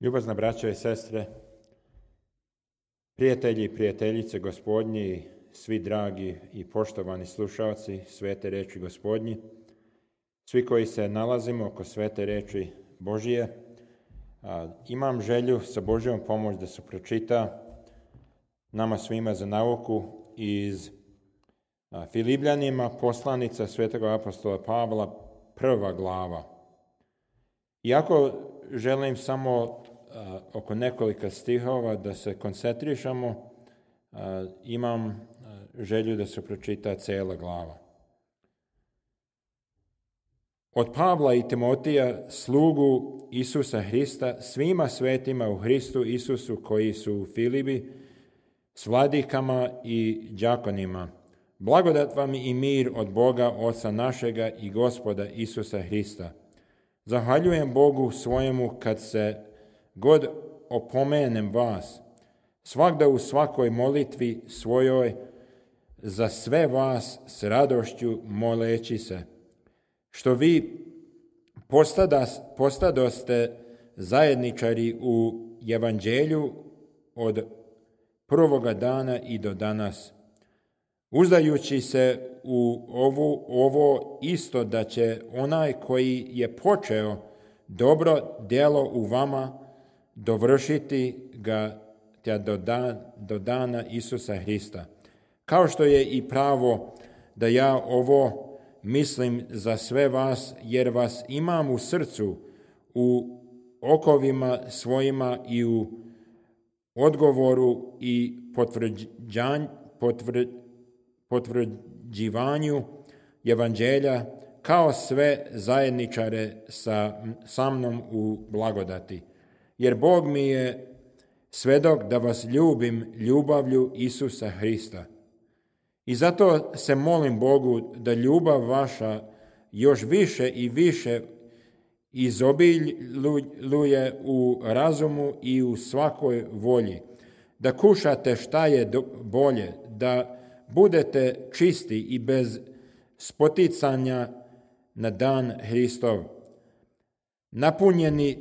Ljubazna braćo i sestre, prijatelji i prijateljice Gospodnji, svi dragi i poštovani slušalci svete reči Gospodnji, svi koji se nalazimo oko svete reči Božije, imam želju sa Božjom pomoć da se pročita nama svima za nauku iz Filipljanima poslanica svetog apostola Pavla, 1. glava. Iako želim samo oko nekoliko stihova da se koncentrišemo, imam želju da se pročita cijela glava. Od Pavla i Timotija, slugu Isusa Hrista, svima svetima u Hristu Isusu koji su u Filipi, s vladikama i đakonima, blagodat vam i mir od Boga, Oca našega i Gospoda Isusa Hrista. Zahvaljujem Bogu svojemu kad se god opomenem vas, svagda u svakoj molitvi svojoj za sve vas s radošću moleći se, što vi postadoste zajedničari u evanđelju od prvoga dana i do danas, uzdajući se u ovo isto da će onaj koji je počeo dobro djelo u vama dovršiti ga do dana Isusa Hrista. Kao što je i pravo da ja ovo mislim za sve vas, jer vas imam u srcu, u okovima svojima i u odgovoru i potvrđivanju evanđelja, kao sve zajedničare sa mnom u blagodati. Jer Bog mi je svedok da vas ljubim ljubavlju Isusa Hrista. I zato se molim Bogu da ljubav vaša još više i više izobiljuje u razumu i u svakoj volji, da kušate šta je bolje, da budete čisti i bez spoticanja na dan Hristov, napunjeni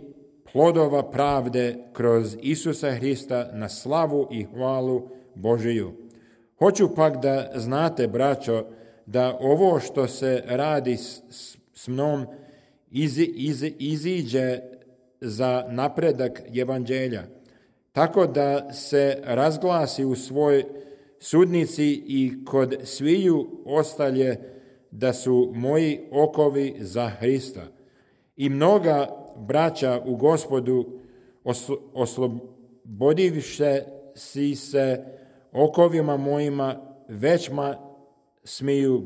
plodova pravde kroz Isusa Hrista na slavu i hvalu Božiju. Hoću pak da znate, braćo, da ovo što se radi s mnom iziđe za napredak evanđelja, tako da se razglasi u svoj sudnici i kod sviju ostalje da su moji okovi za Hrista. I mnoga braća u Gospodu oslobodivše si se okovima mojima većma smiju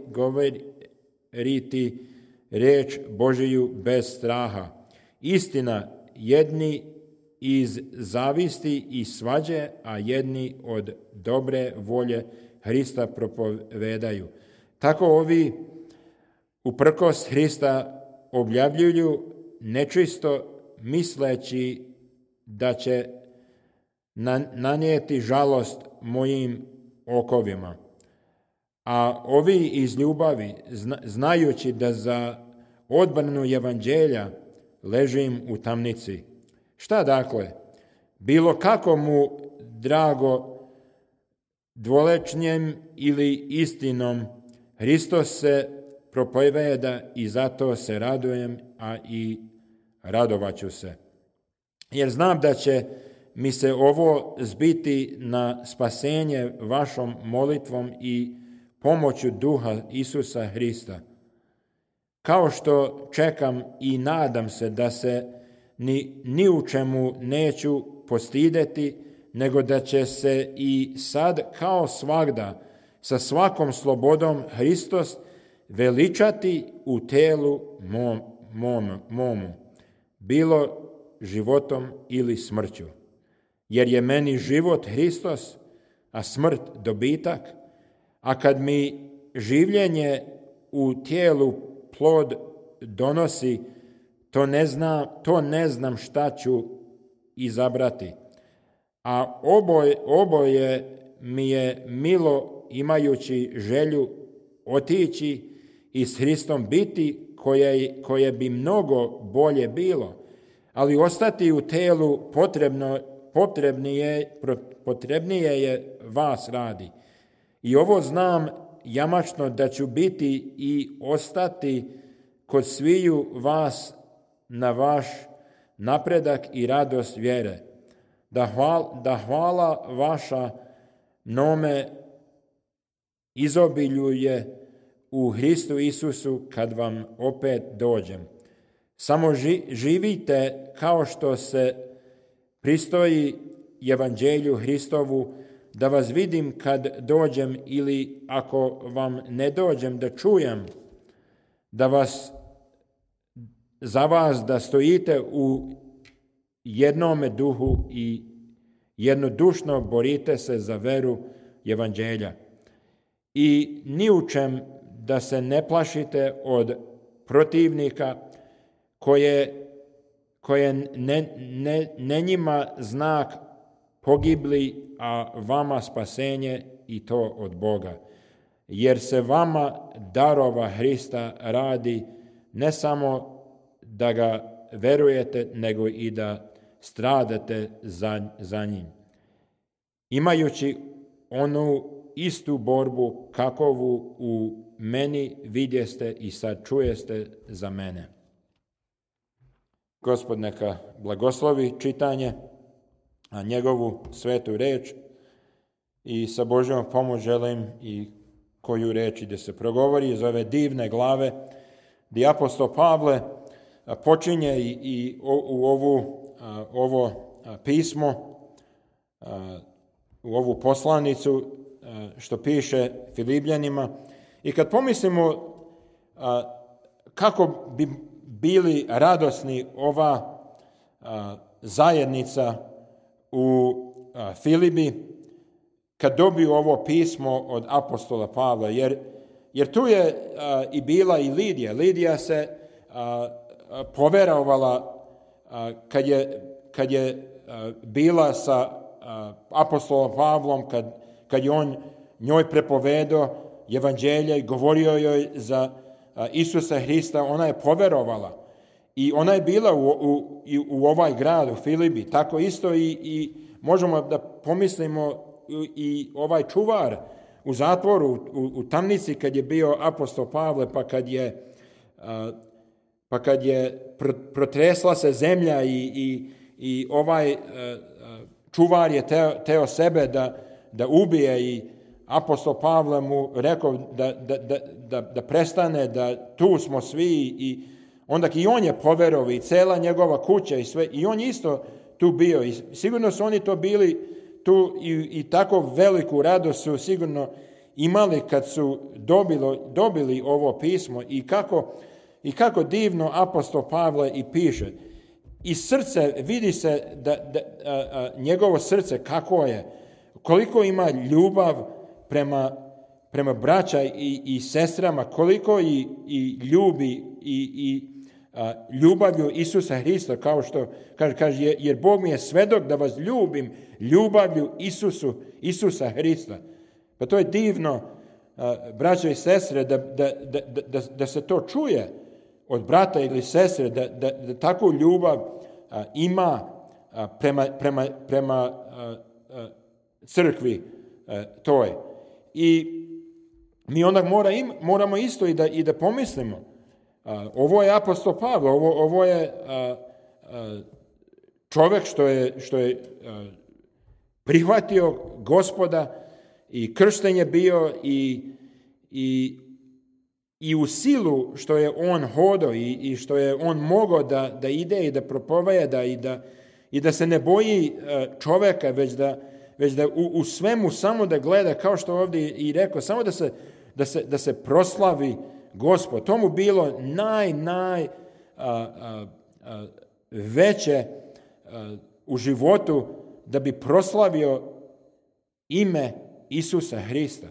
govoriti riječ Božiju bez straha. Istina, jedni iz zavisti i svađe, a jedni od dobre volje Hrista propovedaju. Tako ovi uprkos Hrista objavljuju nečisto, misleći da će nanijeti žalost mojim okovima. A ovi iz ljubavi, znajući da za odbranu evanđelja ležim u tamnici. Šta dakle? Bilo kako mu drago dvolečnjem ili istinom, Hristos se propoveda i zato se radujem, a i radovaću se. Jer znam da će mi se ovo zbiti na spasenje vašom molitvom i pomoću duha Isusa Hrista. Kao što čekam i nadam se da se ni u čemu neću postideti, nego da će se i sad kao svagda sa svakom slobodom Hristos veličati u telu momu, bilo životom ili smrću. Jer je meni život Hristos, a smrt dobitak, a kad mi življenje u tijelu plod donosi, to ne znam šta ću izabrati. A oboje mi je milo, imajući želju otići i s Hristom biti, koje bi mnogo bolje bilo. ali ostati u telu potrebnije je vas radi. I ovo znam jamačno da ću biti i ostati kod sviju vas na vaš napredak i radost vjere, da hvala vaša nome izobiljuje u Hristu Isusu kad vam opet dođem. Samo živite kao što se pristoji evanđelju Hristovu, da vas vidim kad dođem, ili ako vam ne dođem da čujem, za vas da stojite u jednome duhu i jednodušno borite se za veru evanđelja. I ni u čem da se ne plašite od protivnika koje ne njima znak pogibli, a vama spasenje, i to od Boga. Jer se vama darova Hrista radi, ne samo da ga verujete, nego i da stradate za njim. Imajući onu istu borbu kakovu u meni vidjeste i sad čujeste za mene. Gospod neka blagoslovi čitanje, a njegovu svetu reč, i sa Božjom pomoć želim i koju reč da se progovori iz ove divne glave, gdje apostol Pavle počinje i u ovo pismo, u ovu poslanicu što piše Filipljanima. I kad pomislimo kako bi bili radosni ova zajednica u Filipi kad dobiju ovo pismo od apostola Pavla, jer tu je i bila i Lidija. Lidija se poverovala kad je bila sa apostolom Pavlom, kad je on njoj prepovedao evanđelje i govorio joj za Isusa Hrista, ona je poverovala. I ona je bila u ovaj grad, u Filipi. Tako isto i možemo da pomislimo i ovaj čuvar u zatvoru, u tamnici kad je bio apostol Pavle, pa kad je protresla se zemlja i ovaj čuvar je teo sebe da ubije, i apostol Pavle mu rekao da prestane, da tu smo svi, i onda i on je poverovao i cela njegova kuća i sve, i on isto tu bio. I sigurno su oni to bili tu i tako veliku radost su sigurno imali kad su dobili ovo pismo, i kako divno apostol Pavle i piše. I srce, vidi se da njegovo srce kako je, koliko ima ljubav prema braća i sestrama, koliko i ljubi i ljubavlju Isusa Hrista, kao što kaže, jer Bog mi je svedok da vas ljubim ljubavlju Isusa Hrista. Pa to je divno, braća i sestre, da se to čuje od brata ili sestre, da takvu ljubav ima prema crkvi toj. I mi onda moramo isto i da pomislimo. Ovo je apostol Pavle, ovo je čovjek što je prihvatio Gospoda i kršten je bio i u silu što je on hodao i što je on mogao da ide i da propoveda i da se ne boji čovjeka, već da u svemu samo da gleda, kao što ovdje i rekao, samo da se proslavi Gospod. To mu bilo veće u životu, da bi proslavio ime Isusa Hrista.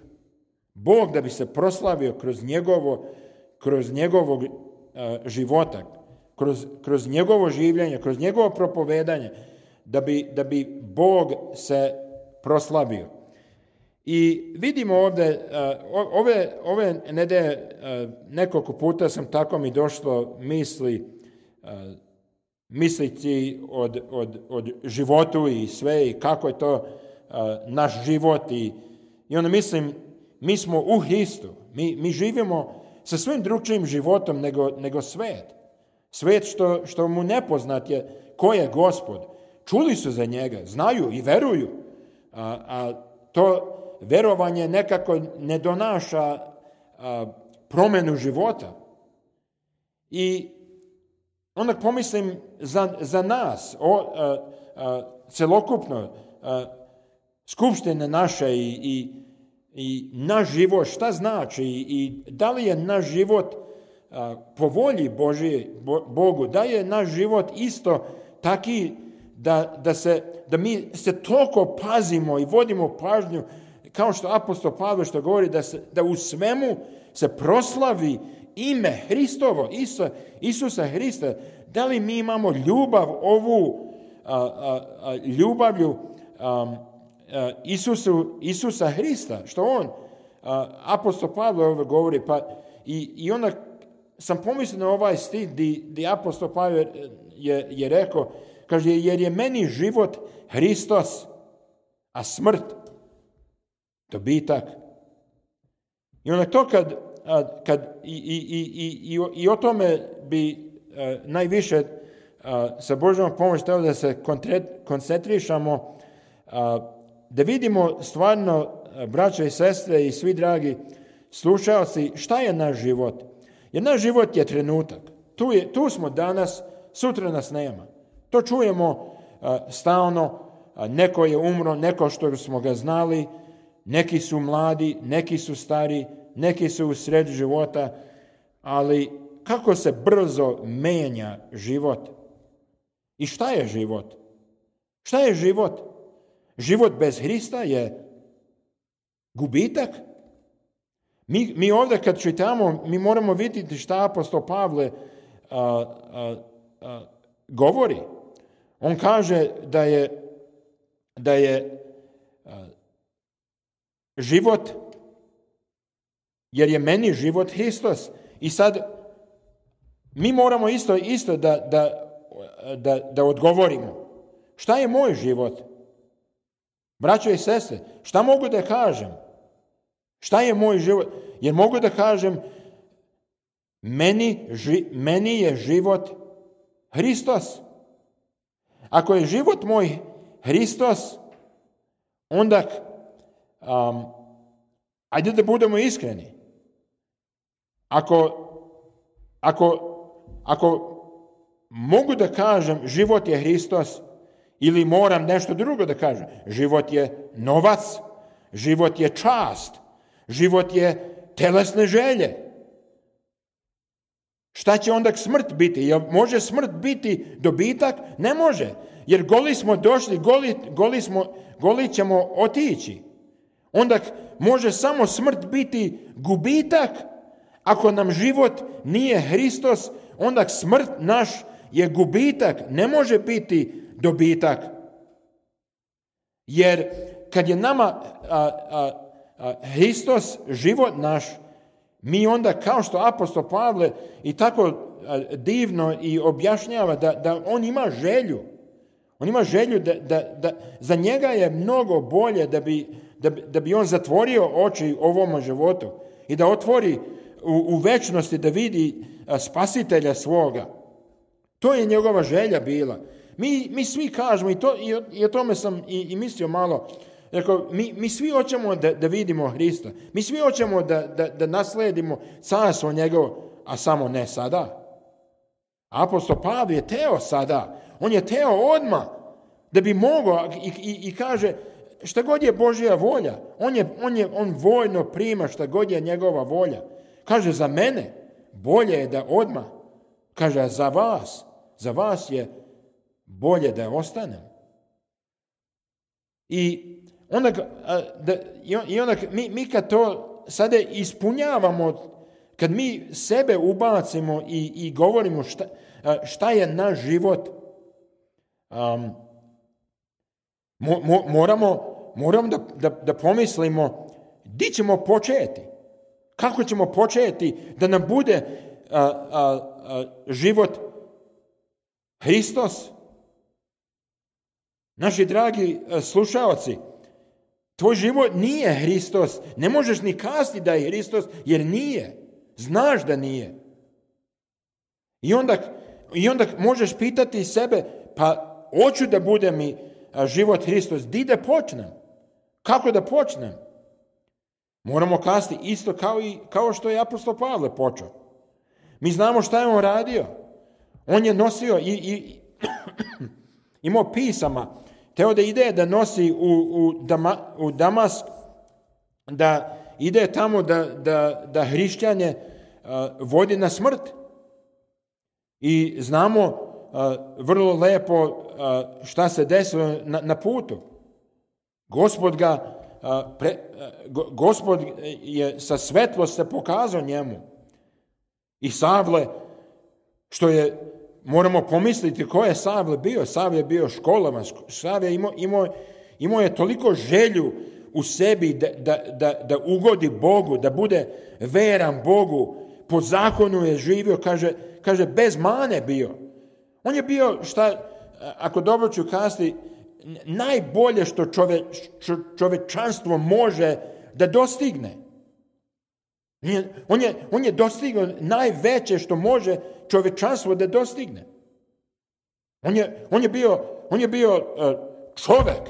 Bog da bi se proslavio kroz njegovog života, kroz njegovo življenje, kroz njegovo propovedanje, da bi Bog se proslavio. I vidimo ovdje, ove nedelje nekoliko puta sam tako mi došlo misli misliti od životu i sve i kako je to naš život i onda mislim, mi smo u Hristu. Mi živimo sa svim drugčijim životom nego svet. Svet što mu nepoznat je ko je Gospod. Čuli su za njega, znaju i veruju. A to verovanje nekako ne donaša promjenu života. I onda pomislim za nas, celokupno, skupštine naše i naš život, šta znači i da li je naš život po volji Bogu, da je naš život isto taki da mi se toliko pazimo i vodimo pažnju, kao što apostol Pavle što govori, da u svemu se proslavi ime Hristovo, Isusa Hrista. Da li mi imamo ljubav ovu, ljubavlju Isusa Hrista, što on, apostol Pavle ovo govori, pa i onda sam pomislio na ovaj stih gdje apostol Pavle je rekao, kaže, jer je meni život Hristos, a smrt dobitak. I onda to kad i o tome bi najviše sa Božjom pomoć trebalo da se koncentrišamo, da vidimo stvarno, braćo i sestre i svi dragi slušalci, šta je naš život. Jer naš život je trenutak. Tu smo danas, sutra nas nema. To čujemo stalno, neko je umro, neko što smo ga znali, neki su mladi, neki su stari, neki su u sred života, ali kako se brzo menja život. I šta je život? Šta je život? Život bez Hrista je gubitak. Mi ovdje kad čitamo, mi moramo vidjeti šta apostol Pavle govori. On kaže da je život, jer je meni život Hristos. I sad mi moramo isto da odgovorimo. Šta je moj život? Braćo i sestre, šta mogu da kažem? Šta je moj život? Jer mogu da kažem, meni je život Hristos. Ako je život moj Hristos, onda ajde da budemo iskreni. Ako mogu da kažem život je Hristos, ili moram nešto drugo da kažem, život je novac, život je čast, život je telesne želje. Šta će onda smrt biti? Jel može smrt biti dobitak? Ne može. Jer goli smo došli, goli ćemo otići. Onda može samo smrt biti gubitak. Ako nam život nije Hristos, onda smrt naš je gubitak. Ne može biti dobitak. Jer kad je nama Hristos život naš, mi onda, kao što apostol Pavle i tako divno i objašnjava da on ima želju. On ima želju da za njega je mnogo bolje da bi on zatvorio oči ovom životu i da otvori u večnosti da vidi spasitelja svoga. To je njegova želja bila. Mi svi kažemo, i o tome sam i mislio malo, rekao, mi svi hoćemo da vidimo Hrista. Mi svi hoćemo da nasledimo carstvo njegovo, a samo ne sada. Apostol Pavle je teo sada. On je teo odmah da bi mogao i kaže šta god je Božja volja. On voljno prima šta god je njegova volja. Kaže za mene bolje je da odmah. Kaže za vas je bolje da ostanem. I onda mi kad to sada ispunjavamo, kad mi sebe ubacimo i govorimo šta je naš život, moramo da pomislimo di ćemo početi. Kako ćemo početi da nam bude život Hristos. Naši dragi slušaoci, tvoj život nije Hristos. Ne možeš ni kazati da je Hristos, jer nije. Znaš da nije. I onda možeš pitati sebe, pa hoću da bude mi život Hristos. Di da počnem? Kako da počnem? Moramo kazati isto kao što je apostol Pavle počeo. Mi znamo šta je on radio. On je nosio i imao pisama. Teo da ide da nosi u Damask, da ide tamo da hrišćanje vodi na smrt. I znamo vrlo lepo šta se desilo na putu. Gospod je sa svetlost se pokazao njemu. I Savle, što je, moramo pomisliti ko je Savle bio. Savle je bio školovan. Savle imao je toliko želju u sebi da ugodi Bogu, da bude veran Bogu. Po zakonu je živio, kaže bez mane bio. On je bio, ako dobro ću kazati, najbolje što čovečanstvo može da dostigne. On je dostigao najveće što može čovečanstvo da dostigne. On je bio čovek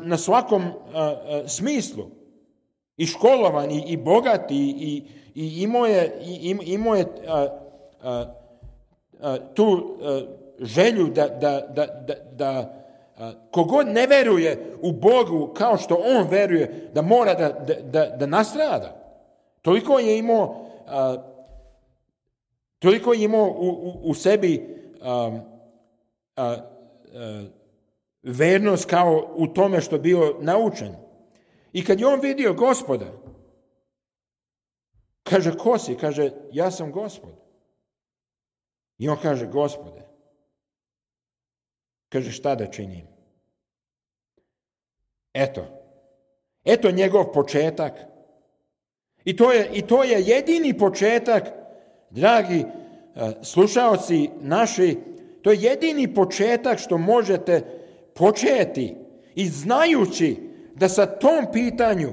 na svakom smislu. I školovan, i bogat, i imao je tu želju da kogod ne veruje u Bogu kao što on veruje, da mora da nastrada. Toliko je imao u sebi vernost kao u tome što bio naučen. I kad je on vidio Gospoda, kaže, ko si? Kaže, ja sam Gospod. I on kaže, Gospode, kaže, šta da činim? Eto njegov početak. I to je jedini početak, dragi slušaoci naši, to je jedini početak što možete početi i znajući da sa tom pitanju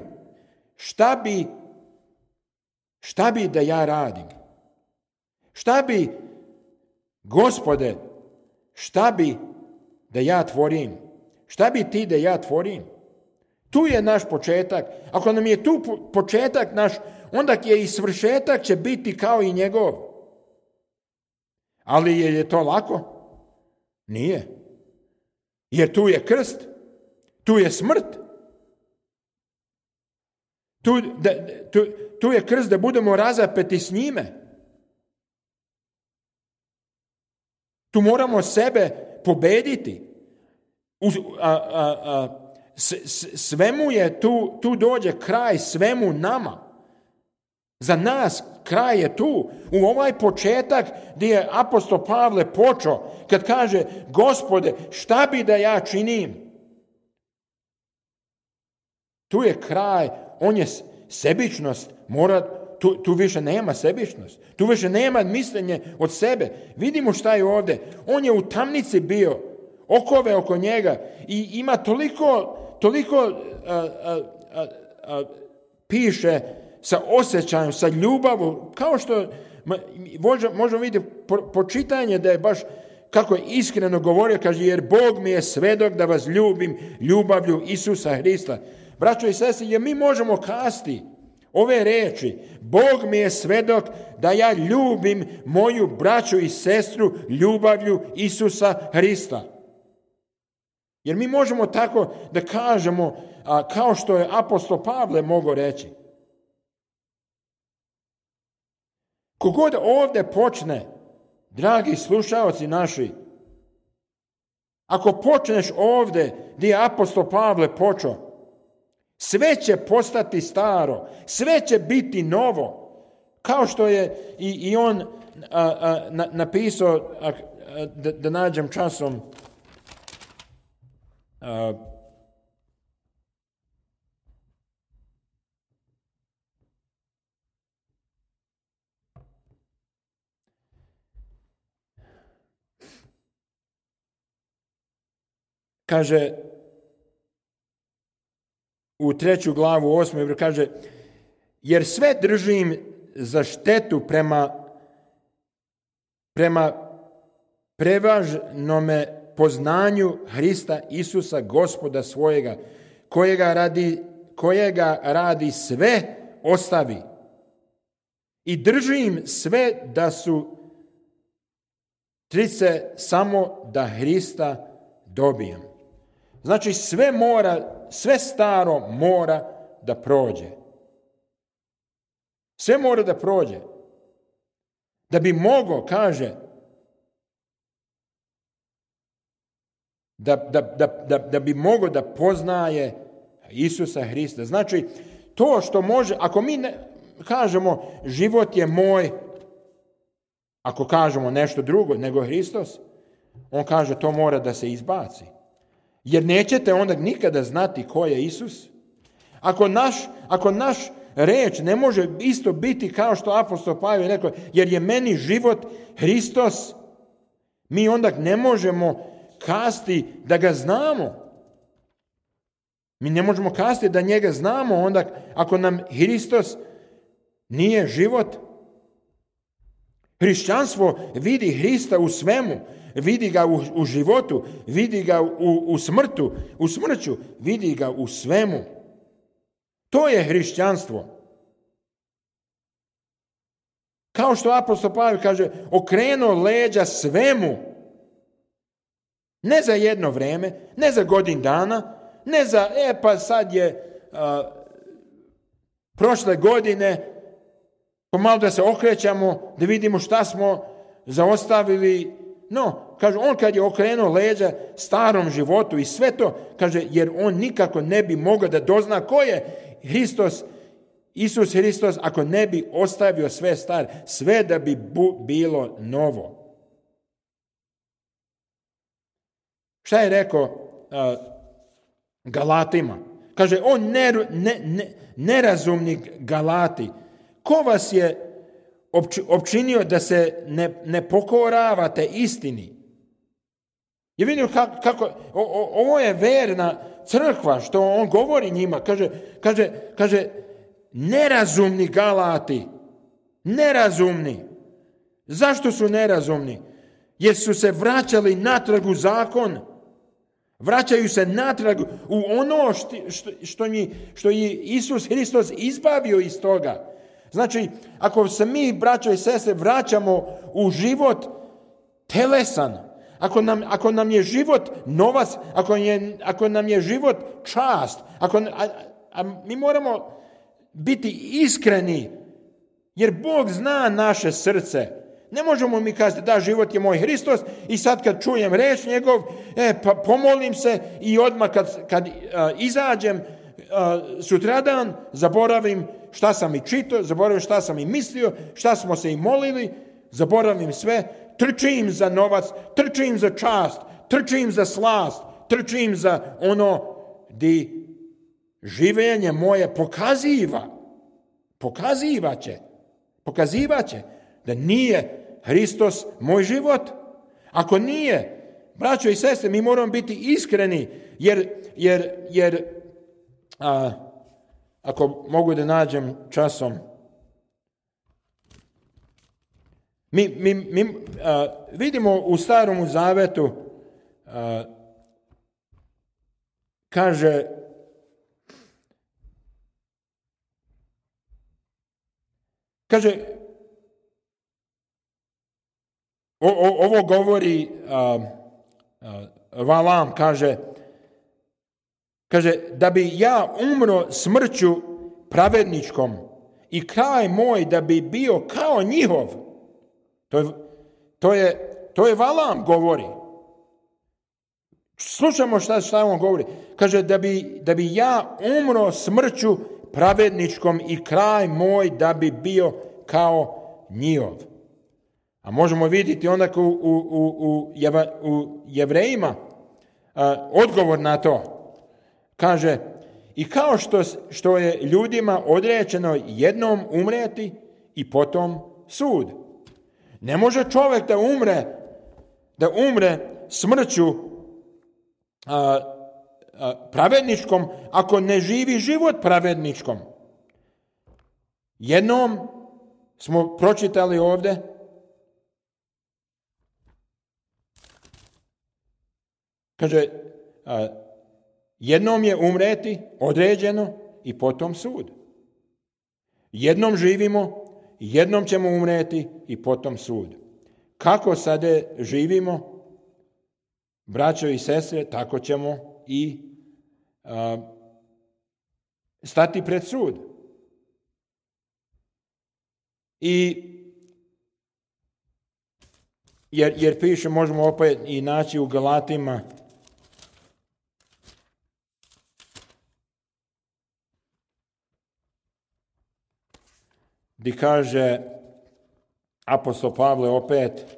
šta bi da ja radim? Šta bi, Gospode, šta bi da ja tvorim? Šta bi ti da ja tvorim? Tu je naš početak. Ako nam je tu početak naš, onda je i svršetak će biti kao i njegov. Ali je to lako? Nije. Jer tu je krst, tu je smrt. Tu je krst da budemo razapeti s njime. Tu moramo sebe pobediti. Svemu je tu dođe kraj svemu nama. Za nas kraj je tu. U ovaj početak gdje je apostol Pavle počeo, kad kaže, Gospode, šta bi da ja činim? Tu je kraj, on je sebičnost, tu više nema sebičnost, tu više nema mišljenje od sebe. Vidimo šta je ovdje. On je u tamnici bio, okove oko njega i ima toliko piše sa osjećajem, sa ljubavom, kao što možemo vidjeti po čitanju da je baš kako je iskreno govorio, kaže, jer Bog mi je svedok da vas ljubim ljubavlju Isusa Hrista. Braćo i sestre, jer mi možemo kazati ove riječi, Bog mi je svedok da ja ljubim moju braću i sestru ljubavlju Isusa Hrista. Jer mi možemo tako da kažemo, kao što je apostol Pavle mogao reći. Kogod ovdje počne, dragi slušaoci naši, ako počneš ovdje gdje je apostol Pavle počeo, sve će postati staro, sve će biti novo. Kao što je i on napisao, da nađem časom, kaže, u 3. glavu 8. kaže, jer sve držim za štetu prema prevažnome poznanju Hrista Isusa, Gospoda svojega, kojega radi sve ostavi. I držim sve da su trice samo da Hrista dobijem. Znači sve staro mora da prođe. Sve mora da prođe. Da bi mogao, kaže, da bi mogao da poznaje Isusa Hrista. Znači, to što može, ako mi kažemo život je moj, ako kažemo nešto drugo nego Hristos, on kaže to mora da se izbaci. Jer nećete onda nikada znati ko je Isus. Ako naš reč ne može isto biti kao što apostol Pavel rekao, jer je meni život Hristos, mi onda ne možemo kasti da ga znamo. Mi ne možemo kasti da njega znamo onda ako nam Hristos nije život. Hrišćanstvo vidi Hrista u svemu, vidi ga u životu, vidi ga u smrću, vidi ga u svemu. To je hrišćanstvo. Kao što apostol Pavel kaže, okrenuo leđa svemu. Ne za jedno vrijeme, ne za godinu dana, ne za, pa sad je prošle godine, pomalo da se okrećamo, da vidimo šta smo zaostavili. No, kaže, on kad je okrenuo leđa starom životu i sve to, kaže, jer on nikako ne bi mogao da dozna ko je Hristos, Isus Hristos, ako ne bi ostavio sve staro, sve da bi bilo novo. Šta je rekao Galatima? Kaže, on nerazumni Galati, ko vas je opčinio da se ne pokoravate istini? Je vidio kako ovo je verna crkva, što on govori njima. Kaže, nerazumni Galati, nerazumni. Zašto su nerazumni? Jer su se vraćali natrag u zakon. Vraćaju se natrag u ono što je Isus Hristos izbavio iz toga. Znači, ako se mi, braćo i sestre, vraćamo u život telesan, ako nam je život novac, ako nam je život čast, mi moramo biti iskreni, jer Bog zna naše srce. Ne možemo mi kazati, da, život je moj Hristos i sad kad čujem reč njegov, pa pomolim se i odmah kad izađem sutradan, zaboravim šta sam i čitao, zaboravim šta sam i mislio, šta smo se i molili, zaboravim sve, trčim za novac, trčim za čast, trčim za slast, trčim za ono di življenje moje pokazivat će da nije Hristos moj život. Ako nije, braćo i sestre, mi moramo biti iskreni, jer ako mogu da nađem časom, mi vidimo u Starom Zavetu, kaže, ovo govori Valam, kaže, da bi ja umro smrću pravedničkom i kraj moj da bi bio kao njihov. To je Valam govori. Slušamo šta on govori. Kaže, da bi ja umro smrću pravedničkom i kraj moj da bi bio kao njihov. A možemo vidjeti onda u Jevrejima odgovor na to. Kaže, i kao što je ljudima odrečeno jednom umreti i potom sud. Ne može čovjek da umre smrću pravedničkom, ako ne živi život pravedničkom. Jednom smo pročitali ovdje, kaže, jednom je umreti određeno i potom sud. Jednom živimo, jednom ćemo umreti i potom sud. Kako sada živimo, braćo i sestre, tako ćemo i stati pred sud. Jer piše, možemo opet i naći u Galatima, gdje kaže apostol Pavle opet,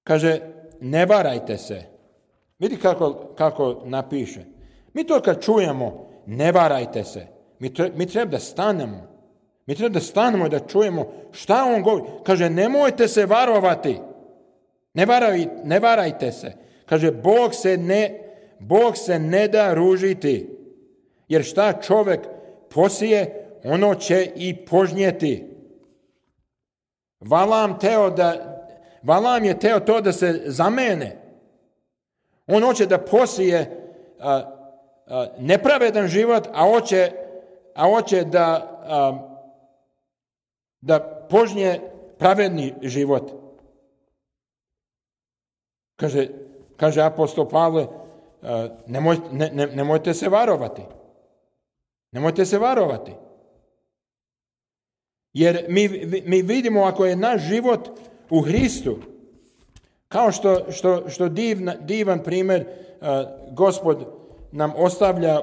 kaže, ne varajte se. Vidi kako napiše. Mi to kad čujemo, ne varajte se, mi treba da stanemo. Mi treba da stanemo i da čujemo šta on govori. Kaže, nemojte se varovati. Ne varajte se. Kaže, Bog se ne da ružiti. Jer šta čovjek posije, ono će i požnjeti. Valam je teo to da se zamene. On hoće da posije nepravedan život, a hoće da požnje pravedni život. Kaže apostol Pavle, nemojte se varovati. Nemojte se varovati. Jer mi vidimo, ako je naš život u Hristu, kao što divan primjer Gospod nam ostavlja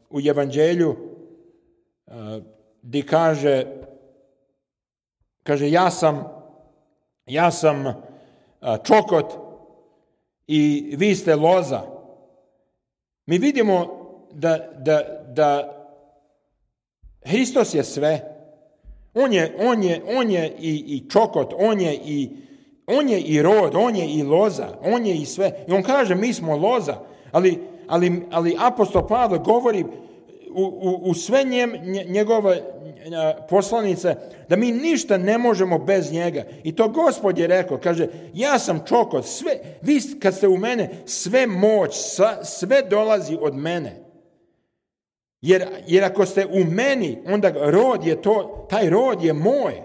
u Evanđelju, gdje kaže ja sam čokot i vi ste loza. Mi vidimo da Hristos je sve. On je i čokot, on je i rod, on je i loza, on je i sve. I on kaže, mi smo loza. Ali apostol Pavle govori u sve njegove poslanice da mi ništa ne možemo bez njega. I to Gospod je rekao, kaže, ja sam čokot, sve, vi kad ste u mene, sve moć, sve dolazi od mene. Jer ako ste u meni, onda rod je to, taj rod je moj.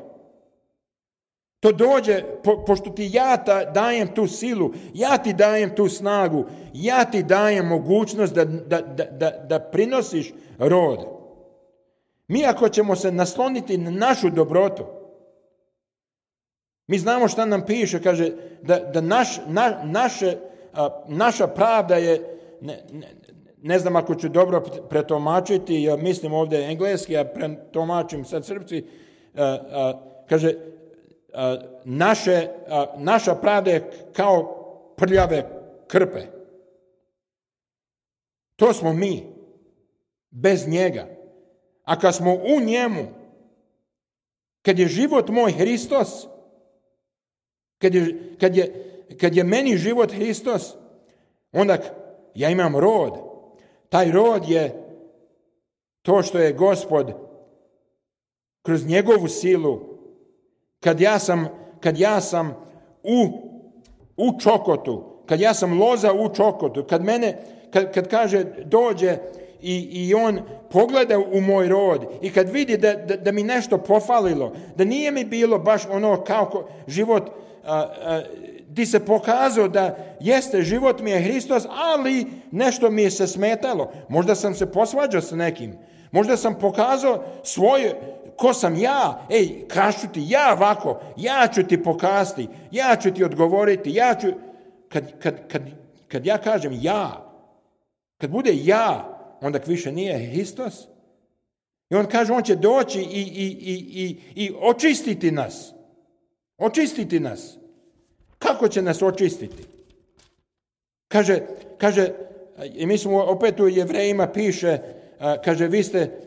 To dođe, pošto ti ja dajem tu silu, ja ti dajem tu snagu, ja ti dajem mogućnost da prinosiš rod. Mi ako ćemo se nasloniti na našu dobrotu, mi znamo šta nam piše, kaže da naša pravda je, ne znam ako ću dobro pretomačiti, ja mislim ovdje engleski, ja pretomačim sad srpski, kaže, naša pravda je kao prljave krpe. To smo mi, bez njega. A kad smo u njemu, kad je život moj Hristos, kad je meni život Hristos, onda ja imam rod. Taj rod je to što je Gospod kroz njegovu silu, kad ja sam u čokotu, kad ja sam loza u čokotu, kad kaže dođe i on pogleda u moj rod i kad vidi da mi nešto pofalilo, da nije mi bilo baš ono kao život di se pokazao da jeste, život mi je Hristos, ali nešto mi je se smetalo. Možda sam se posvađao s nekim. Možda sam pokazao ko sam ja. Kažu ti ja ovako, ja ću ti pokazati, ja ću ti odgovoriti, kad ja kažem ja, kad bude ja, onda više nije Hristos. I on kaže, on će doći i očistiti nas. Očistiti nas. Kako će nas očistiti? Kaže, i mi smo opet u Jevrejima piše, kaže, vi ste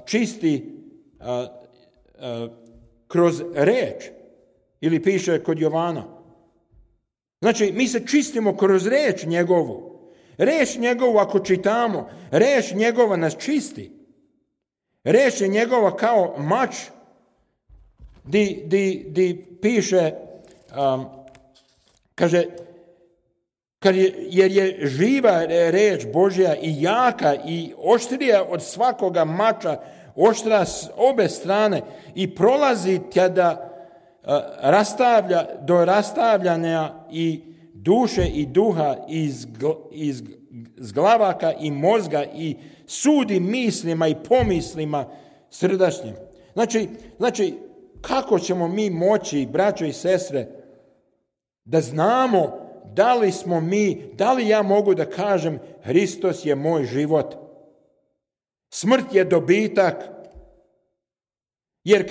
čisti kroz reč. Ili piše kod Jovana. Znači, mi se čistimo kroz reč njegovu. Reč njegovu ako čitamo, reč njegova nas čisti. Reč je njegova kao mač di piše, kaže, jer je živa reč Božja i jaka i oštrija od svakoga mača, oštra s obe strane i prolazi kada rastavlja do rastavljanja i duše i duha iz glavaka i mozga i sudi mislima i pomislima srdačnim. Znači, kako ćemo mi moći, braćo i sestre, da znamo da li ja mogu da kažem Hristos je moj život? Smrt je dobitak. Jer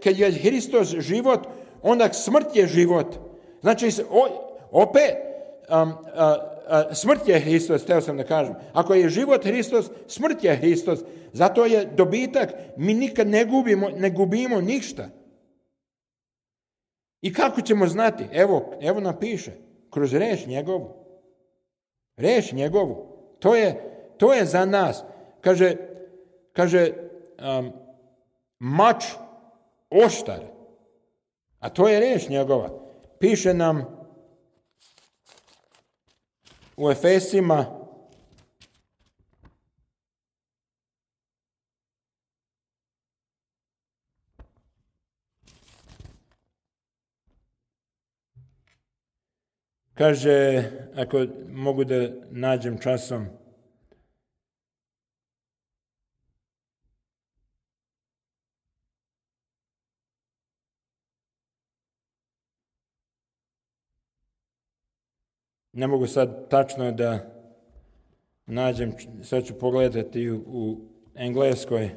kad je Hristos život, onda smrt je život. Znači, opet, smrt je Hristos, htio sam da kažem. Ako je život Hristos, smrt je Hristos. Zato je dobitak. Mi nikad ne gubimo ništa. I kako ćemo znati? Evo nam piše. Kroz reč njegovu. Reč njegovu. To je za nas. Kaže mač oštar. A to je reč njegova. Piše nam u Efesima kaže, ako mogu da nađem časom, ne mogu sad tačno da nađem, sad ću pogledati u engleskoj.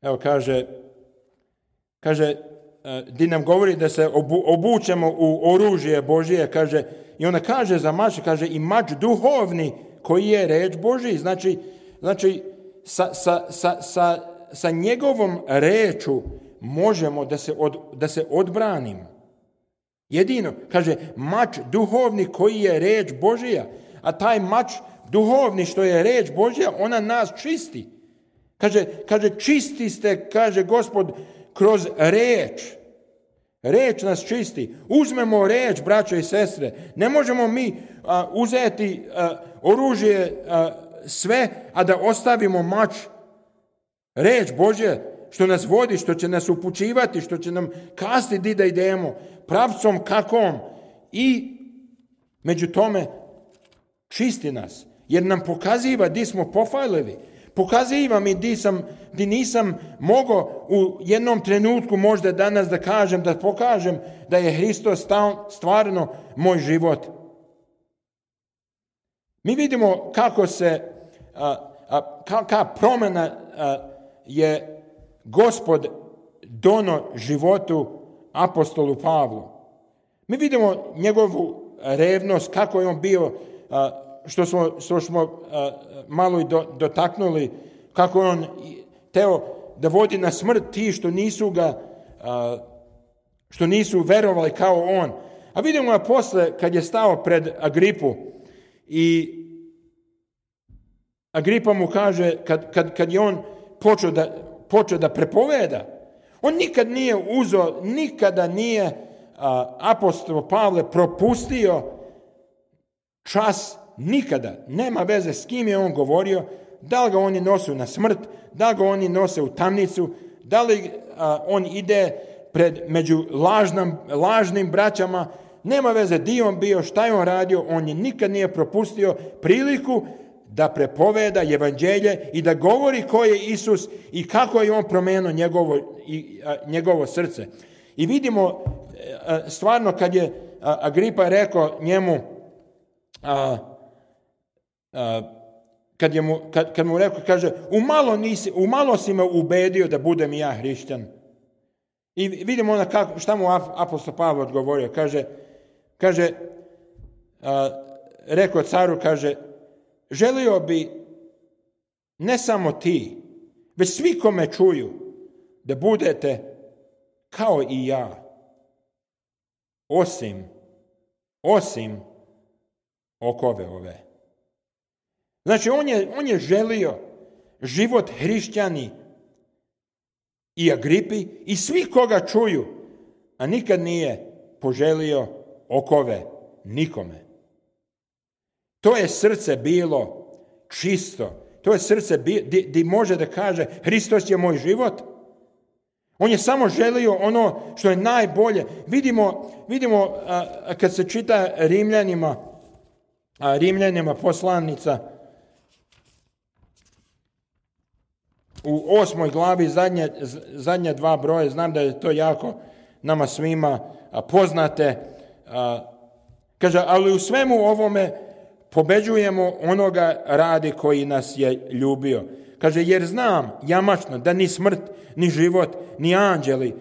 Evo kaže, di nam govori da se obučemo u oružje Božije, kaže, i ona kaže za mač, kaže i mač duhovni koji je reč Božiji. Znači sa njegovom reču možemo da se odbranimo. Jedino, kaže, mač duhovni koji je reč Božija, a taj mač duhovni što je reč Božija, ona nas čisti. Kaže, čisti ste, kaže Gospod, kroz reč. Reč nas čisti. Uzmemo reč, braćo i sestre. Ne možemo mi uzeti oružje sve, a da ostavimo mač. Reč Božja što nas vodi, što će nas upućivati, što će nam kazati di da idemo, pravcom kakom. I među tome čisti nas. Jer nam pokaziva di smo pofalili. Pokaziva mi di nisam mogao u jednom trenutku možda danas da pokažem da je Hristos stvarno moj život. Mi vidimo kako se, kakva promjena je Gospod dono životu apostolu Pavlu. Mi vidimo njegovu revnost, kako je on bio, što smo malo i dotaknuli, kako on teo da vodi na smrt ti što nisu verovali kao on. A vidimo ga posle kad je stao pred Agripu i Agripa mu kaže, kad je on počeo da prepoveda, on nikada nije apostol Pavle propustio čas. Nikada. Nema veze s kim je on govorio, da li ga oni nose na smrt, da li ga oni nose u tamnicu, da li on ide među lažnim braćama. Nema veze di on bio, šta je on radio, on je nikad nije propustio priliku da prepoveda evanđelje i da govori ko je Isus i kako je on promenio njegovo srce. I vidimo stvarno kad je Agripa rekao njemu, kad mu rekao, kaže, umalo si me ubedio da budem ja hrišćan. I vidimo šta mu apostol Pavle odgovorio. Kaže, rekao caru, kaže, želio bi ne samo ti, već svi kome čuju, da budete kao i ja, osim okove ove. Znači, on je želio život hrišćani i Agripi i svi koga čuju, a nikad nije poželio okove nikome. To je srce bilo čisto. To je srce gdje može da kaže Hristos je moj život. On je samo želio ono što je najbolje. Vidimo kad se čita Rimljanima poslanica u 8. glavi zadnje 2 broje, znam da je to jako nama svima poznate. Kaže, ali u svemu ovome pobeđujemo onoga radi koji nas je ljubio. Kaže, jer znam jamačno da ni smrt, ni život, ni anđeli,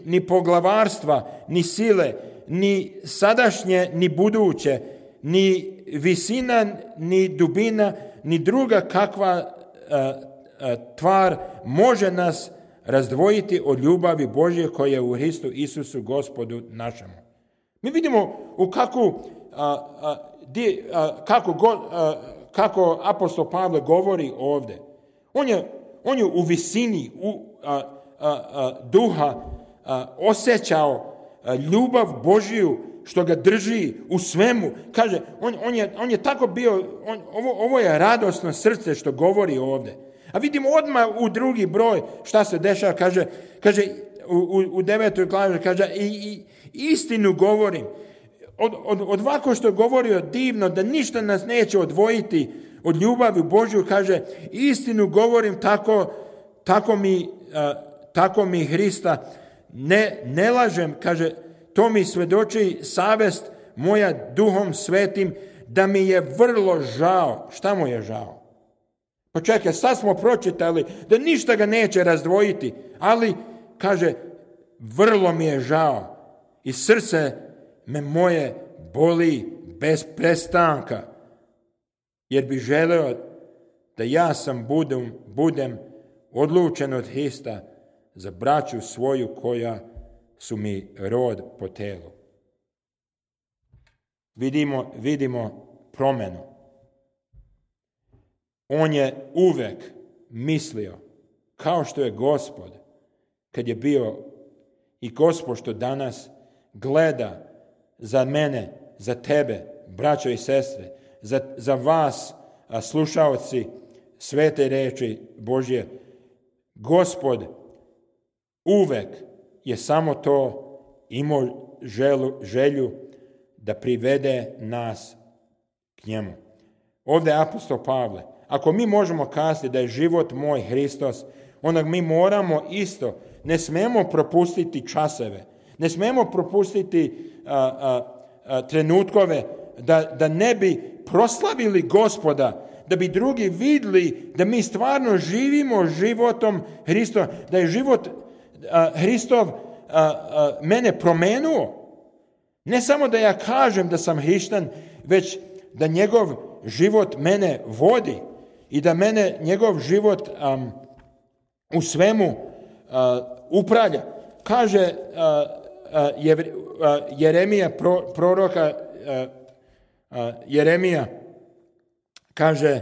ni poglavarstva, ni sile, ni sadašnje, ni buduće, ni visina, ni dubina, ni druga kakva tvar može nas razdvojiti od ljubavi Božje koja je u Hristu Isusu Gospodu našemu. Mi vidimo u kako apostol Pavle govori ovdje. On je u visini duha osjećao ljubav Božju što ga drži u svemu. Kaže, on je tako bio, ovo je radosno srce što govori ovdje. A vidimo odmah u drugi broj šta se dešava. Kaže u 9. glavi, kaže, i istinu govorim. Od ovako što je govorio divno, da ništa nas neće odvojiti od ljubavi Božju, kaže, istinu govorim, tako mi Hrista, ne lažem, kaže, to mi svedoči savest moja Duhom Svetim, da mi je vrlo žao. Šta mu je žao? Pa čekaj, sad smo pročitali da ništa ga neće razdvojiti, ali, kaže, vrlo mi je žao i srce me moje boli bez prestanka, jer bi želeo da ja sam budem odlučen od Hrista za braću svoju koja su mi rod po telu. Vidimo promjenu. On je uvek mislio, kao što je Gospod, kad je bio i Gospod što danas gleda za mene, za tebe, braćo i sestre, za vas, slušaoci svete reči Božje. Gospod uvek je samo to imao želju da privede nas k njemu. Ovdje je apostol Pavle. Ako mi možemo kazati da je život moj Hristos, onda mi moramo isto, ne smemo propustiti časeve, ne smemo propustiti trenutkove da ne bi proslavili Gospoda, da bi drugi vidjeli da mi stvarno živimo životom Hristova, da je život Hristov mene promenuo. Ne samo da ja kažem da sam hrišćan, već da njegov život mene vodi i da mene njegov život u svemu upravlja. Kaže Jeremija, proroka Jeremija, kaže,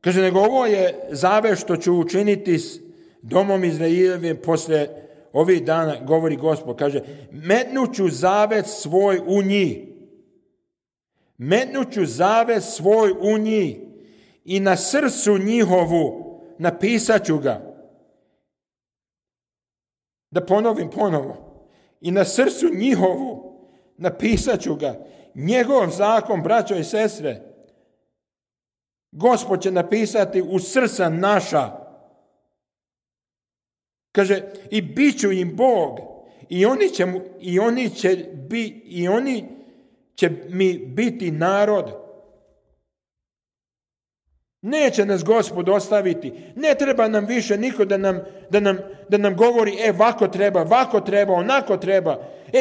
nego ovo je zavjet što ću učiniti s domom Izraeljevim poslije ovih dana, govori Gospod, kaže, metnuću zavjet svoj u njih. Metnuću zavjet svoj u njih i na srcu njihovu napisat ću ga. Da ponovim ponovo. I na srcu njihovu napisat ću ga. Njegov zakon, braćo i sestre, Gospod će napisati u srca naša. Kaže, i bit ću im Bog, i oni će mi biti narod. Neće nas Gospod ostaviti. Ne treba nam više niko da nam govori, vako treba, onako treba.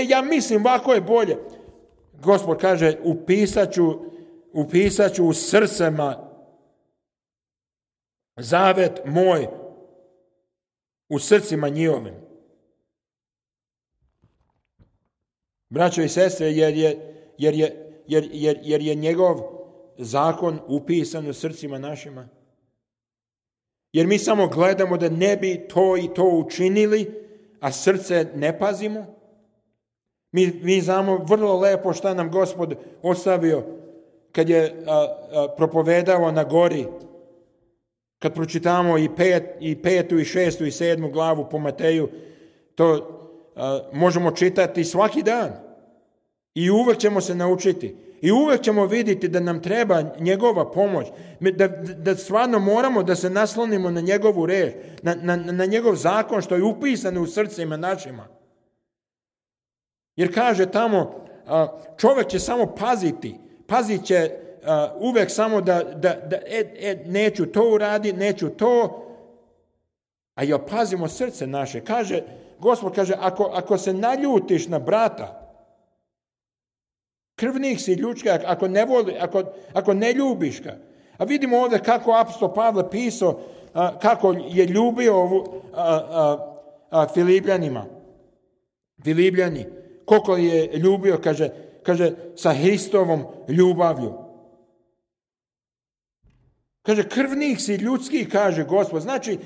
Ja mislim, vako je bolje. Gospod kaže, upisat ću u srcima zavet moj, u srcima njihovim. Braćo i sestre, jer je njegov zakon upisan u srcima našima. Jer mi samo gledamo da ne bi to i to učinili, a srce ne pazimo. Mi znamo vrlo lepo šta nam Gospod ostavio kad je propovedao na gori. Kad pročitamo i 5. i 6. i 7. glavu po Mateju, to možemo čitati svaki dan. I uvek ćemo se naučiti. I uvek ćemo vidjeti da nam treba njegova pomoć. Da stvarno moramo da se naslonimo na njegovu reč, na njegov zakon što je upisan u srcima našima. Jer kaže tamo, čovjek će samo paziti. Pazit će uvek samo da neću to uraditi, neću to. A ja pazimo srce naše. Gospod kaže, ako se naljutiš na brata, krvnik si ljudski, ako ne voli, ako ne ljubiš ga. A vidimo ovdje kako apostol Pavle pisao, kako je ljubio Filipljani. Koliko je ljubio, kaže, sa Hristovom ljubavlju. Kaže, krvnik si ljudski, kaže Gospod. Znači,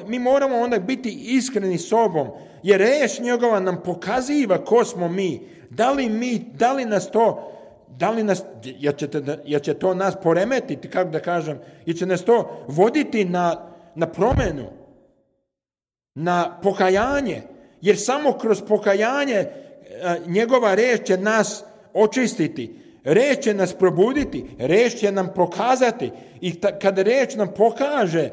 mi moramo onda biti iskreni sobom, jer reč njegova nam pokaziva ko smo mi. Da li nas, jer će to nas poremetiti, kako da kažem, jer će nas to voditi na promjenu, na pokajanje, jer samo kroz pokajanje njegova reč će nas očistiti. Reč će nas probuditi, reč će nam pokazati i kada reč nam pokaže,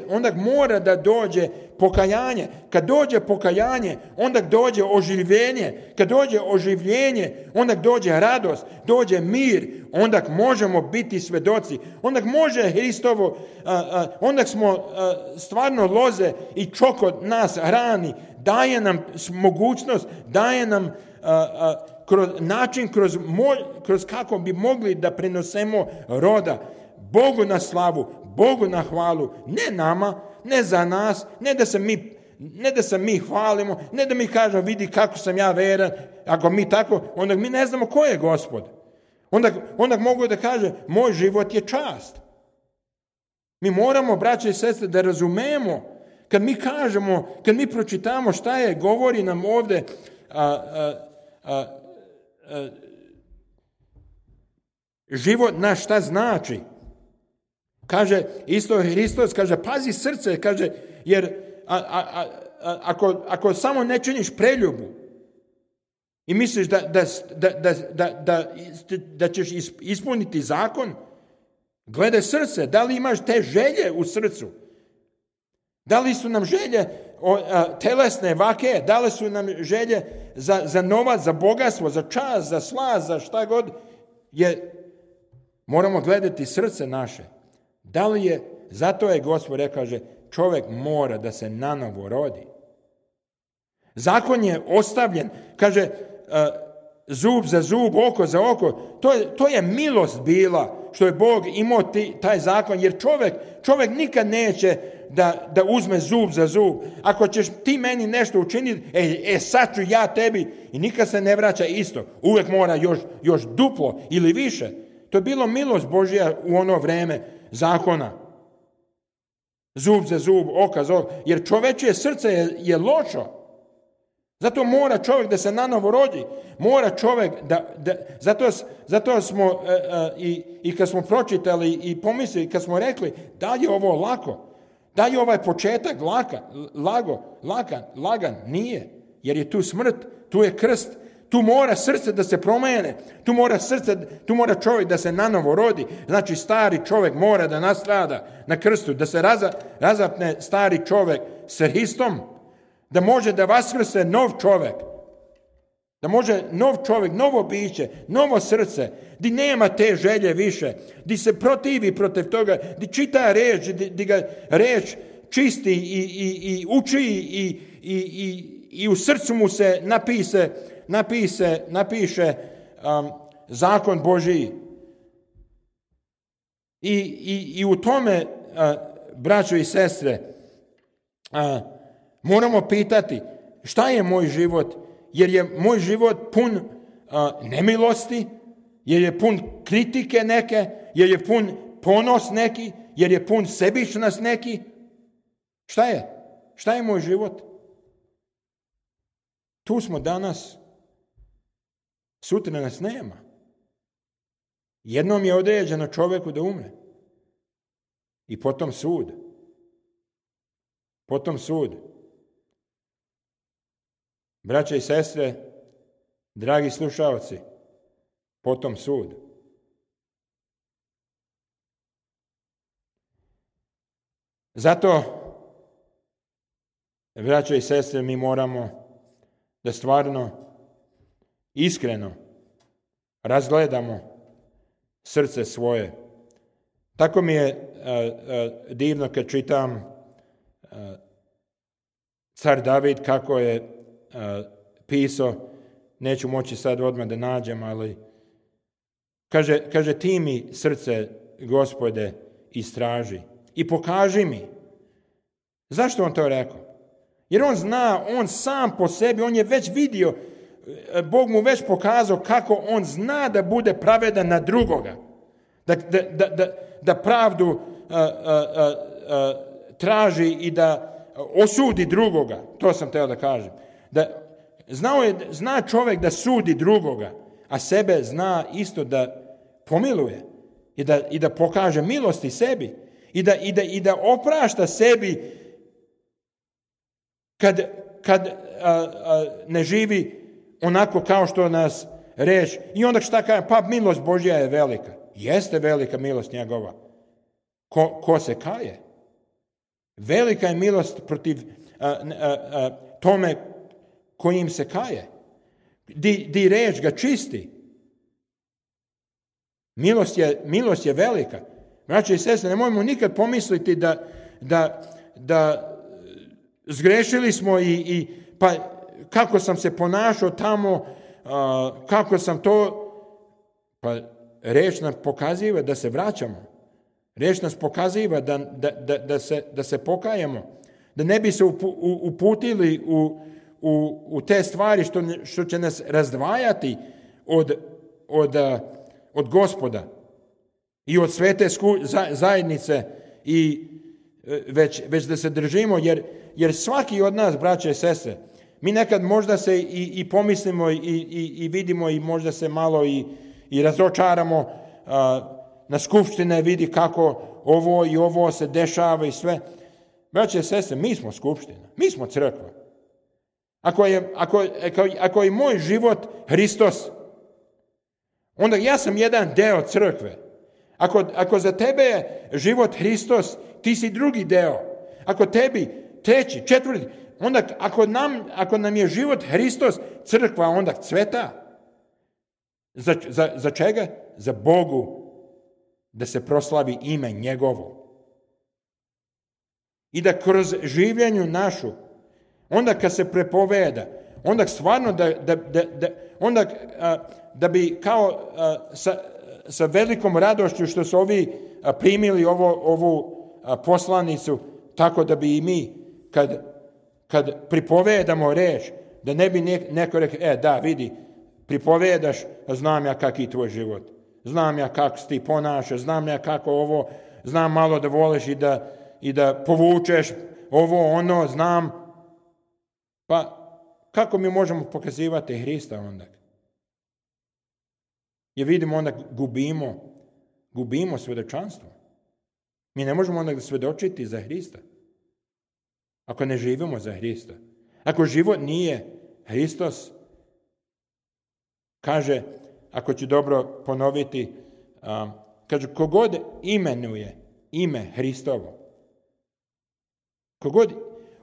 onda mora da dođe pokajanje. Kad dođe pokajanje, onda dođe oživljenje. Kad dođe oživljenje, onda dođe radost, dođe mir, onda možemo biti svedoci. Onda može Hristovo, onda smo stvarno loze i čokot nas hrani, daje nam mogućnost, daje nam način kroz kako bi mogli da prenosemo roda Bogu na slavu, Bogu na hvalu, ne nama, ne za nas, ne da se mi hvalimo, ne da mi kažemo vidi kako sam ja veran, ako mi tako, onda mi ne znamo ko je Gospod. Onda mogu da kaže moj život je čast. Mi moramo, braće i sestre, da razumemo kad mi kažemo, kad mi pročitamo šta je, govori nam ovdje život naš šta znači. Kaže isto Hristos, kaže pazi srce, kaže jer ako samo ne činiš preljubu i misliš da ćeš ispuniti zakon, gledaj srce, da li imaš te želje u srcu? Da li su nam želje telesne, vake, da li su nam želje za novac, za bogatstvo, za čast, za slast, za šta god moramo gledati srce naše. Da li je, zato je Gospod rekao, kaže, čovjek mora da se nanovo rodi. Zakon je ostavljen, kaže, zub za zub, oko za oko. To je milost bila što je Bog imao taj zakon, jer čovjek nikad neće da uzme zub za zub. Ako ćeš ti meni nešto učiniti, sad ću ja tebi, i nikad se ne vraća isto. Uvijek mora još duplo ili više. To je bilo milost Božja u ono vreme zakona. Zub za zub, oka za oko. Jer čovečje srce je lošo. Zato mora čovjek da se nanovo rodi. Mora čovjek zato smo i kad smo pročitali i pomislili, kad smo rekli da li je ovo lako, da li je ovaj početak lagan, nije. Jer je tu smrt, tu je krst, tu mora srce da se promijene, tu mora čovjek da se nanovo rodi. Znači stari čovjek mora da nastrada na krstu, da se razapne stari čovjek s Hristom, da može da vaskrse nov čovjek, Da može nov čovjek, novo biće, novo srce, di nema te želje više, di se protivi protiv toga, di čita reč, di ga reč čisti i uči i u srcu mu se napiše zakon Božiji. I u tome, braćo i sestre, moramo pitati šta je moj život, jer je moj život pun nemilosti, jer je pun kritike neke, jer je pun ponos neki, jer je pun sebičnost neki. Šta je? Šta je moj život? Tu smo danas, sutra nas nema. Jednom je određeno čovjeku da umre. I potom sud. Potom sud. Braća i sestre, dragi slušalci, potom sud. Zato, braća i sestre, mi moramo da stvarno, iskreno razgledamo srce svoje. Tako mi je divno kad čitam car David kako je pisao, neću moći sad odmah da nađem, ali kaže ti mi srce, Gospode, istraži i pokaži mi. Zašto on to rekao? Jer on zna, on sam po sebi, on je već vidio, Bog mu već pokazao kako on zna da bude pravedan na drugoga. Da pravdu traži i da osudi drugoga. To sam htio da kažem. Zna čovjek da sudi drugoga, a sebe zna isto da pomiluje i da pokaže milosti sebi i da oprašta sebi kad ne živi onako kao što nas reč. I onda šta kaže? Pa milost Božja je velika. Jeste velika milost njegova. Ko se kaje? Velika je milost protiv tome kojim se kaje. Di reč ga čisti. Milost je velika. Braće i sestre, nemojmo nikad pomisliti da zgrešili smo i pa kako sam se ponašao tamo, kako sam to, pa reč nam pokaziva da se vraćamo. Reč nas pokaziva da se pokajemo, da ne bi se uputili u te stvari što će nas razdvajati od Gospoda i od svete zajednice i već da se držimo, jer svaki od nas, braće i sestre, mi nekad možda se i pomislimo i vidimo i možda se malo i razočaramo na skupštine, vidi kako ovo se dešava i sve. Braće i sestre, mi smo skupština, mi smo crkva. Ako je moj život Hristos, onda ja sam jedan deo crkve. Ako za tebe je život Hristos, ti si drugi deo. Ako tebi treći, četvrti, onda ako nam je život Hristos, crkva onda cveta. Za čega? Za Bogu, da se proslavi ime njegovo. I da kroz življenju našu, onda kad se prepoveda, onda stvarno da bi kao sa velikom radošću što su ovi primili ovu poslanicu, tako da bi i mi kad pripovedamo reč, da ne bi neko rekao, da vidi, pripovedaš, znam ja kak je tvoj život, znam ja kako se ti ponašaš, znam ja kako ovo, znam malo da voliš i da povučeš ovo, ono, znam. Pa kako mi možemo pokazivati Hrista onda? Jer vidimo onda gubimo svjedočanstvo. Mi ne možemo onda svjedočiti za Hrista. Ako ne živimo za Hrista. Ako život nije Hristos, kaže, ako ću dobro ponoviti, kaže, kogod imenuje ime Hristovo, kogod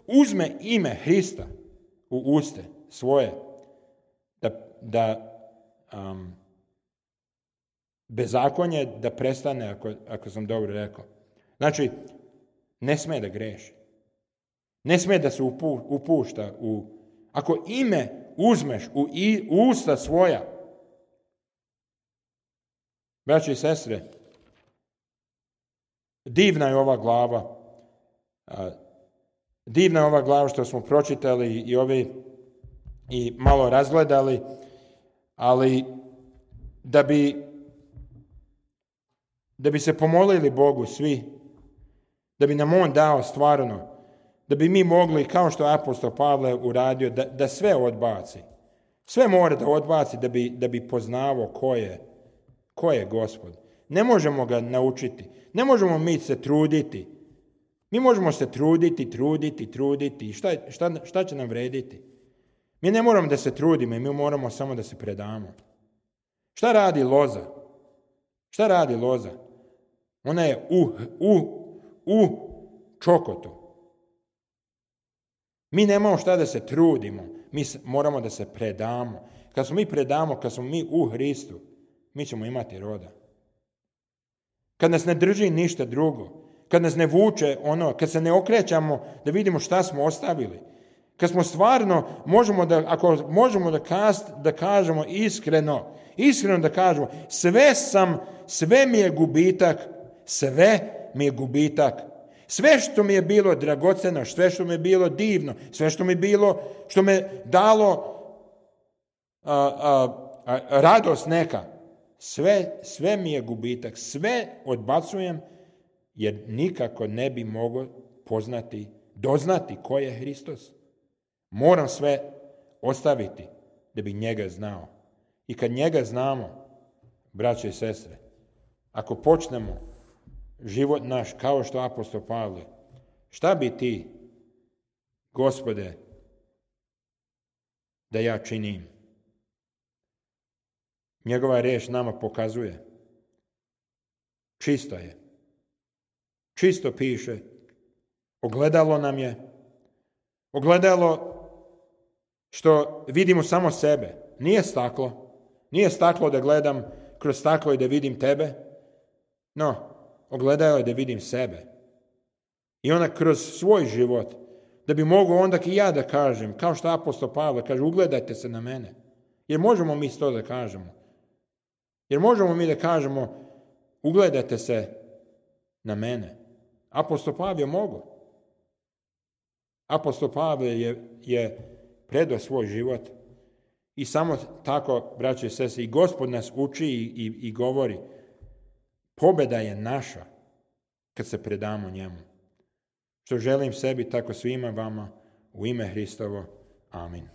uzme ime Hrista u uste svoje, da bezakonje da prestane, ako sam dobro rekao. Znači, ne sme da greši. Ne sme da se upušta u... Ako ime uzmeš u usta svoja, braći i sestre, divna je ova glava. Divna je ova glava što smo pročitali i malo razgledali, ali da bi se pomolili Bogu svi, da bi nam On dao stvarno, da bi mi mogli, kao što je apostol Pavle uradio, da sve odbaci. Sve mora da odbaci da bi poznavao ko je Gospod. Ne možemo ga naučiti. Ne možemo mi se truditi. Mi možemo se truditi. Šta će nam vrediti? Mi ne moramo da se trudimo, mi moramo samo da se predamo. Šta radi loza? Šta radi loza? Ona je u čokotu. Mi nemamo šta da se trudimo. Mi moramo da se predamo. Kad smo mi predamo, kad smo mi u Hristu, mi ćemo imati roda. Kad nas ne drži ništa drugo, kad nas ne vuče kad se ne okrećamo da vidimo šta smo ostavili, kad smo stvarno, ako možemo da kažemo iskreno da kažemo, sve mi je gubitak, sve što mi je bilo dragoceno, sve što mi je bilo divno, sve što mi je bilo, što me dalo radost neka, sve mi je gubitak, sve odbacujem, jer nikako ne bi mogao doznati ko je Hristos. Moram sve ostaviti da bi njega znao. I kad njega znamo, braće i sestre, ako počnemo život naš kao što apostol Pavle, šta bi ti, Gospode, da ja činim? Njegova riječ nama pokazuje. Čisto je. Čisto piše. Ogledalo nam je. Ogledalo što vidimo samo sebe. Nije staklo. Nije staklo da gledam kroz staklo i da vidim tebe. No, ogledalo je da vidim sebe. I onda kroz svoj život, da bi mogao onda i ja da kažem, kao što apostol Pavle kaže, ugledajte se na mene. Jer možemo mi to da kažemo. Jer možemo mi da kažemo, ugledajte se na mene. Apostol Pavle je mogao. Apostol Pavle je predao svoj život i samo tako, braće i sestre, i Gospod nas uči i govori, pobjeda je naša kad se predamo njemu. Što želim sebi, tako svima vama, u ime Hristovo. Amin.